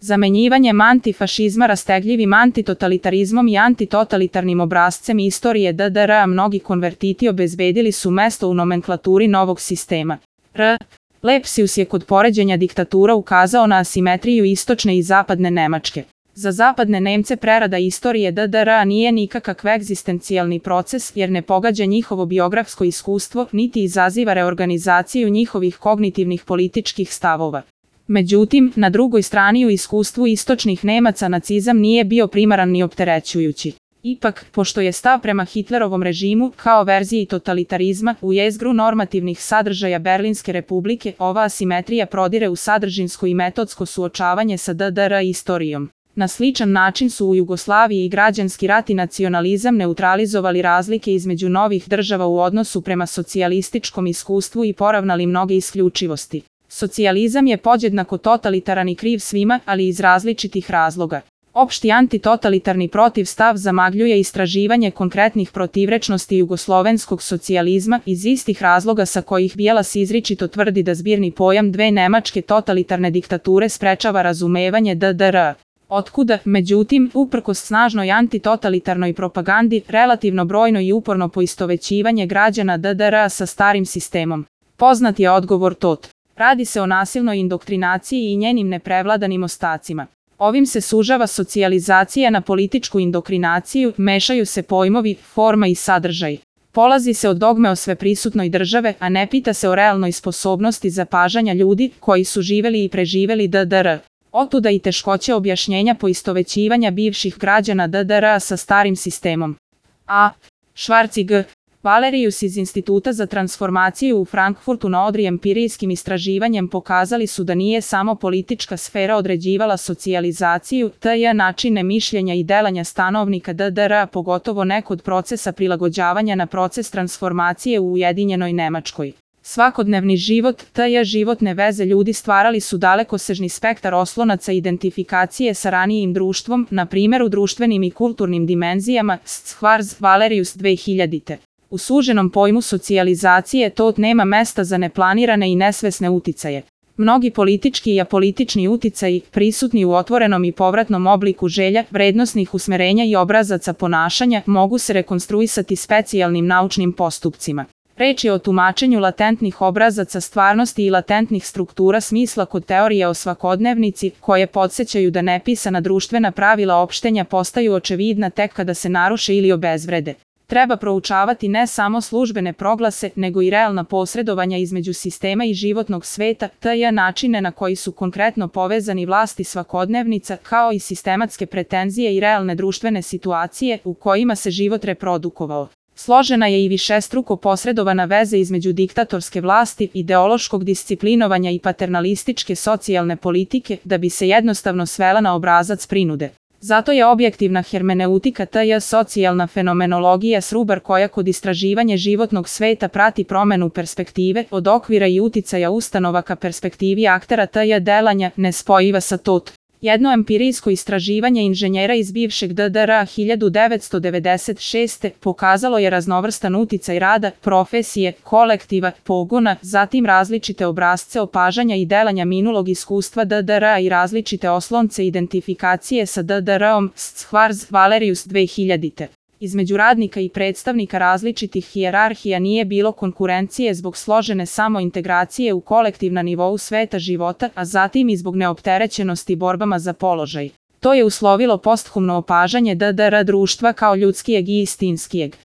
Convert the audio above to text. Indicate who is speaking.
Speaker 1: Zamenjivanjem antifašizma rastegljivim antitotalitarizmom i antitotalitarnim obrascem istorije DDR-a mnogi konvertiti obezbedili su mesto u nomenklaturi novog sistema. Lepsius je kod poređenja diktatura ukazao na asimetriju istočne i zapadne Nemačke. Za zapadne Nemce prerada istorije DDR-a nije nikakav egzistencijalni proces jer ne pogađa njihovo biografsko iskustvo niti izaziva reorganizaciju njihovih kognitivnih političkih stavova. Međutim, na drugoj strani u iskustvu istočnih Nemaca nacizam nije bio primaran ni opterećujući. Ipak, pošto je stav prema Hitlerovom režimu, kao verziji totalitarizma, u jezgru normativnih sadržaja Berlinske republike, ova asimetrija prodire u sadržinsko i metodsko suočavanje sa DDR istorijom. Na sličan način su u Jugoslaviji i građanski rat i nacionalizam neutralizovali razlike između novih država u odnosu prema socijalističkom iskustvu i poravnali mnoge isključivosti. Socijalizam je podjednako totalitaran i kriv svima, ali iz različitih razloga. Opšti antitotalitarni protivstav zamagljuje istraživanje konkretnih protivrečnosti jugoslovenskog socijalizma iz istih razloga sa kojih Bjelas izričito tvrdi da zbirni pojam dve nemačke totalitarne diktature sprečava razumevanje DDR. Otkuda, međutim, uprkos snažnoj antitotalitarnoj propagandi, relativno brojno i uporno poistovećivanje građana DDR-a sa starim sistemom. Poznat je odgovor tot. Radi se o nasilnoj indoktrinaciji i njenim neprevladanim ostacima. Ovim se sužava socijalizacija na političku indoktrinaciju, mešaju se pojmovi, forma i sadržaj. Polazi se od dogme o sveprisutnoj države, a ne pita se o realnoj sposobnosti zapažanja ljudi koji su živeli i preživeli DDR. Otuda i teškoće objašnjenja poistovećivanja bivših građana DDR-a sa starim sistemom. A. Schwarz i G. Valerius iz Instituta za transformaciju u Frankfurtu na Odri empirijskim istraživanjem pokazali su da nije samo politička sfera određivala socijalizaciju, t.j. načine mišljenja i delanja stanovnika DDR-a, pogotovo ne kod procesa prilagođavanja na proces transformacije u Ujedinjenoj Nemačkoj. Svakodnevni život, t.j. životne veze ljudi stvarali su dalekosežni spektar oslonaca identifikacije sa ranijim društvom, na primjer u društvenim i kulturnim dimenzijama, Schwarz, Valerius 2000. U suženom pojmu socijalizacije tot nema mesta za neplanirane i nesvesne uticaje. Mnogi politički i apolitični uticaji, prisutni u otvorenom i povratnom obliku želja, vrednosnih usmerenja i obrazaca ponašanja, mogu se rekonstruisati specijalnim naučnim postupcima. Reč je o tumačenju latentnih obrazaca stvarnosti i latentnih struktura smisla kod teorije o svakodnevnici, koje podsjećaju da nepisana društvena pravila opštenja postaju očevidna tek kada se naruše ili obezvrede. Treba proučavati ne samo službene proglase, nego i realna posredovanja između sistema i životnog sveta, t.j. načine na koji su konkretno povezani vlasti svakodnevnica, kao i sistematske pretenzije i realne društvene situacije u kojima se život reprodukovao. Složena je i višestruko posredovana veza između diktatorske vlasti, ideološkog disciplinovanja i paternalističke socijalne politike, da bi se jednostavno svela na obrazac prinude. Zato je objektivna hermeneutika t.j. socijalna fenomenologija srubar koja kod istraživanja životnog sveta prati promenu perspektive, od okvira i uticaja ustanova ka perspektivi aktera t.j. delanja, nespojiva sa tot. Jedno empirijsko istraživanje inženjera iz bivšeg DDR-a 1996. pokazalo je raznovrstan uticaj rada, profesije, kolektiva, pogona, zatim različite obrazce opažanja i delanja minulog iskustva DDR-a i različite oslonce identifikacije sa DDR-om, Schwarz, Valerius 2000. Između radnika i predstavnika različitih hijerarhija nije bilo konkurencije zbog složene samointegracije u kolektiv na nivou sveta života, a zatim i zbog neopterećenosti borbama za položaj. To je uslovilo posthumno opažanje DDR društva kao ljudskijeg i istinskijeg.